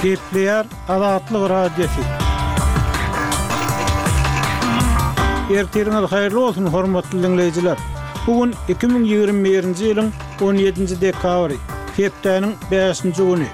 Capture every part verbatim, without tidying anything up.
Gepleýär Azatlyk Radiosy. Ertiriňiz haýyrly bolsun, hormatly diňleýjiler! Bu gün iki müň ýigrimi birinji ýylyň on ýedinji dekabry, hepdäniň bäşinji güni.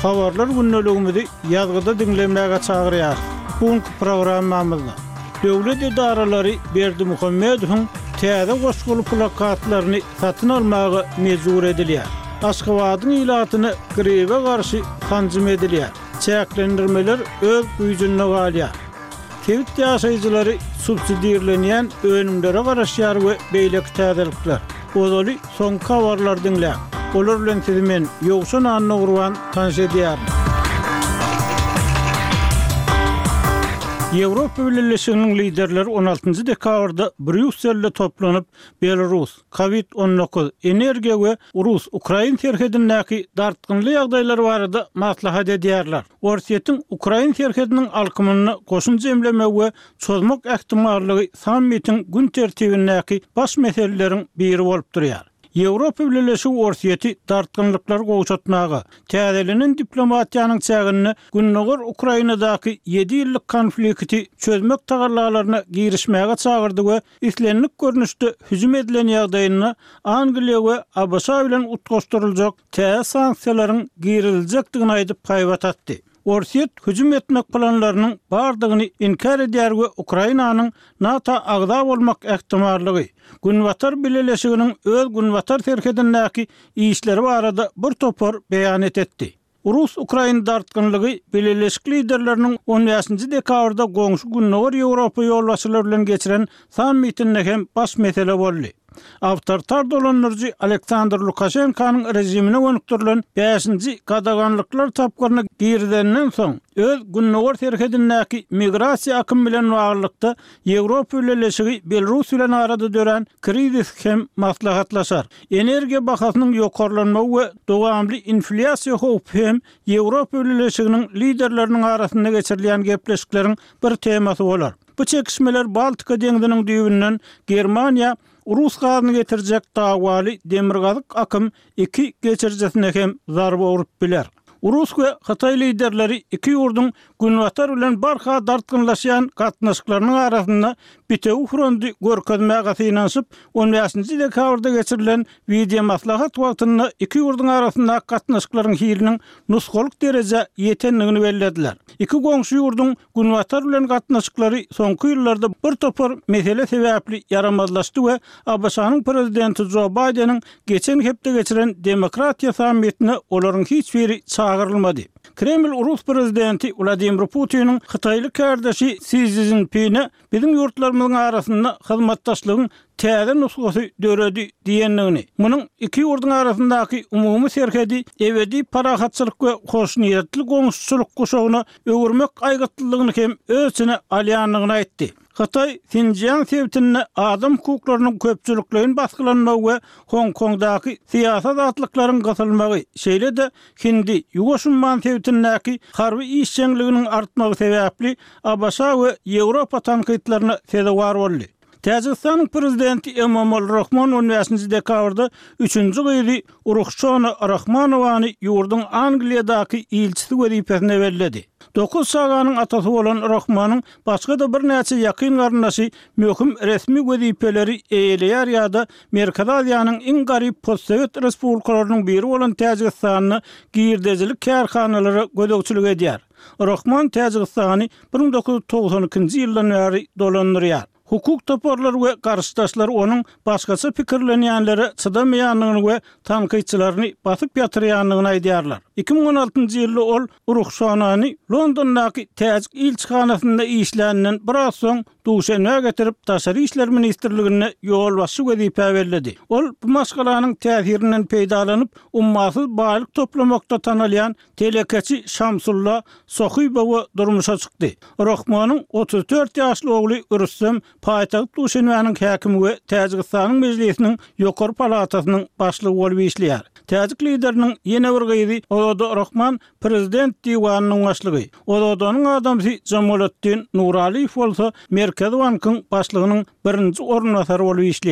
Habarlar gündeligimizi ýazgyda diňlemäge çagyrýarys. Bu günki programmamyzda döwlet edaralary Berdimuhamedowyň täze goşguly plakatlaryny satyn almaga mejbur edilýär. Aşgabadyň ilatyna gribe garşy sanjym edilýär. Çäklendirmeler öz güýjünde galýar. Sebit ýaşaýjylary subsidirlenýän önümlere garaşýar we beýleki täzelikler. Ozaly soňky habarlary diňläň. Olar bilen sizi men, Ýowşan Annagurban, tanyş edýärin. Ýewropa Bileleşiginiň liderleri on altynjy dekabrda Brýusselde toplanyp, Belarus, Covid on dokuz, energiýa we rus-ukrain serhedindäki dartgynly ýagdaýlar barada maslahat edýärler. Orsýetiň ukrain serhediniň alkymynda goşun jemlemegi we çozmak ähtimallygy sammitiň gün tertibindäki baş meseleleriň biri bolup durýar. Ýewropa Bileleşigi Orsýeti dartgynlyklary gowşatmaga, täzelenen diplomatiýanyň çäginde Gündogar Ukrainadaky ýedi ýyllyk konflikti çözmek tagallalaryna girişmäge çagyrdy we islendik görnüşde hüjüm edilen ýagdaýynda Angliýa we A B Ş bilen utgaşdyryljak täze sanksiýalaryň giriziljekdigini aýdyp haýbat atdy. Orsýet hüjüm etmek planlarynyň bardygyny inkär edýär we Ukrainanyň NATO agza bolmak ähtimallygy, Günbatar Bileleşiginiň öz Günbatar serhedindäki işleri barada bir topar beýan etdi. Rus-Ukrain dartgynlygy Bileleşik liderleriniň on bäşinji dekabrda goňşy Gündogar Ýewropa ýolbaşçylary bilen geçiren sammitinde hem baş mesele boldy. Awtoritar dolandyryjy Aleksandr Lukaşenkanyň rejimine gönükdirilen bäşinji gadaganlyklar tapgyryna girizenden soň öz Gündogar serhedindäki migrasiýa akymy bilen baglylykda Ýewropa Bileleşigi Belarus bilen arada dörän krizis hem maslahatlaşar. Energiýa bahasynyň ýokarlanmagy we dowamly inflýasiýa howpy hem Ýewropa Bileleşiginiň liderleriniň arasynda geçirilýän gepleşikleriň bir temasy bolar. Bu çekişmeler Baltika deňziniň düýbünden Germaniýa Rus gazyny getirjek dawaly demirgazyk akym iki geçiricisine hem zarba urup biler. Rus we Hytaý liderleri iki ýurduň Günbatar bilen barha dartgynlaşýan gatnaşyklarynyň arasynda bitewi fronty görkezmäge synanyşyp, on bäşinji dekabrda geçirilen video maslahat wagtynda iki ýurduň arasyndaky gatnaşyklaryň hiliniň nusgalyk derejä ýetendigini bellediler. Iki goňşy ýurduň Günbatar bilen gatnaşyklary soňky ýyllarda bir topar mesele sebäpli ýaramazlaşdy we A B Ş-nyň prezidenti Jo Baýdeniň geçen hepde geçiren demokratiýa sammitine olaryň hiç biri çagyrylmady. Kreml Rus prezidenti Wladimir Putiniň Hytaýly kardeşi Si Szinpine biziň ýurtlarymyzyň arasynda hyzmatdaşlygyň täze nusgasy döredi diýendigini, munuň iki ýurduň arasyndaky umumy serhedi ebedi parahatçylyk we hoşniýetli goňşuçylyk guşagyna öwürmek aýgytlylygyny hem öz içine alýandygyny aýtdy. Hytaý Sinjiang sebitinde adam hukuklarynyň köpçülikleýin basgylanmagy we Hong Kongdaky syýasy azatlyklaryň gysylmagy, şeýle-de Hindi Ýuwaş umman sebitindäki harby işjeňliginiň artmagy sebäpli A B Ş we Ýewropa tankytlaryna sezewar boldy. Täjigistanyň prezidenti Emomali Rahmon on bäşinji dekabrda üçünji gyzy Ruhşona Rahmanowany ýurduň Angliýadaky ilçisi wezipesine belledi. Dokuz çaganyň atasy bolan Rahmanyň başga-da birnäçe ýakyn garyndaşy möhüm resmi wezipeleri eýeleýär ýa-da Merkezi Aziýanyň iň garyp postsowet respublikalarynyň biri bolan Täjigistanda girdejilik kärhanalara gözegçilik edýär. Rahman Täjigistany bir müň dokuz ýüz togsan ikinji ýyldan bäri dolandyrýar. Hukuk toparlary we garşydaşlar onuň başgaça pikirlenýänlere çydamaýandygyny we tankytçylaryny basyp ýatyrýandygyny aýdýarlar. Iki müň on altynjy ýylda ol Ruhşonany Londondaky Täjik ilçihanasynda işläninden biraz soň Duşenbä getirip Daşary işler ministrliginde ýolbaşçy wezipä belledi. Ol bu maşgalanyň täsirinden peýdalanyp, ummasyz baýlyk toplamakda tanalýan telekeçi Şamsulla Sohibowa durmuşa çykdy. Rahmanyň otuz dört ýaşly ogly Rüstem paýtagt Duşenbäniň häkimi we Täjigistanyň mejlisiniň ýokary palatasynyň başlygy bolup işleýär. Täjik lideriniň ýene bir gyzy Ozoda Rahman prezident diwanynyň başlygy. Ozodanyň adamsy Jamoladdin Nuraliýew bolsa Merkezi bankyň başlygynyň birinji orunbasary bolup işleýär.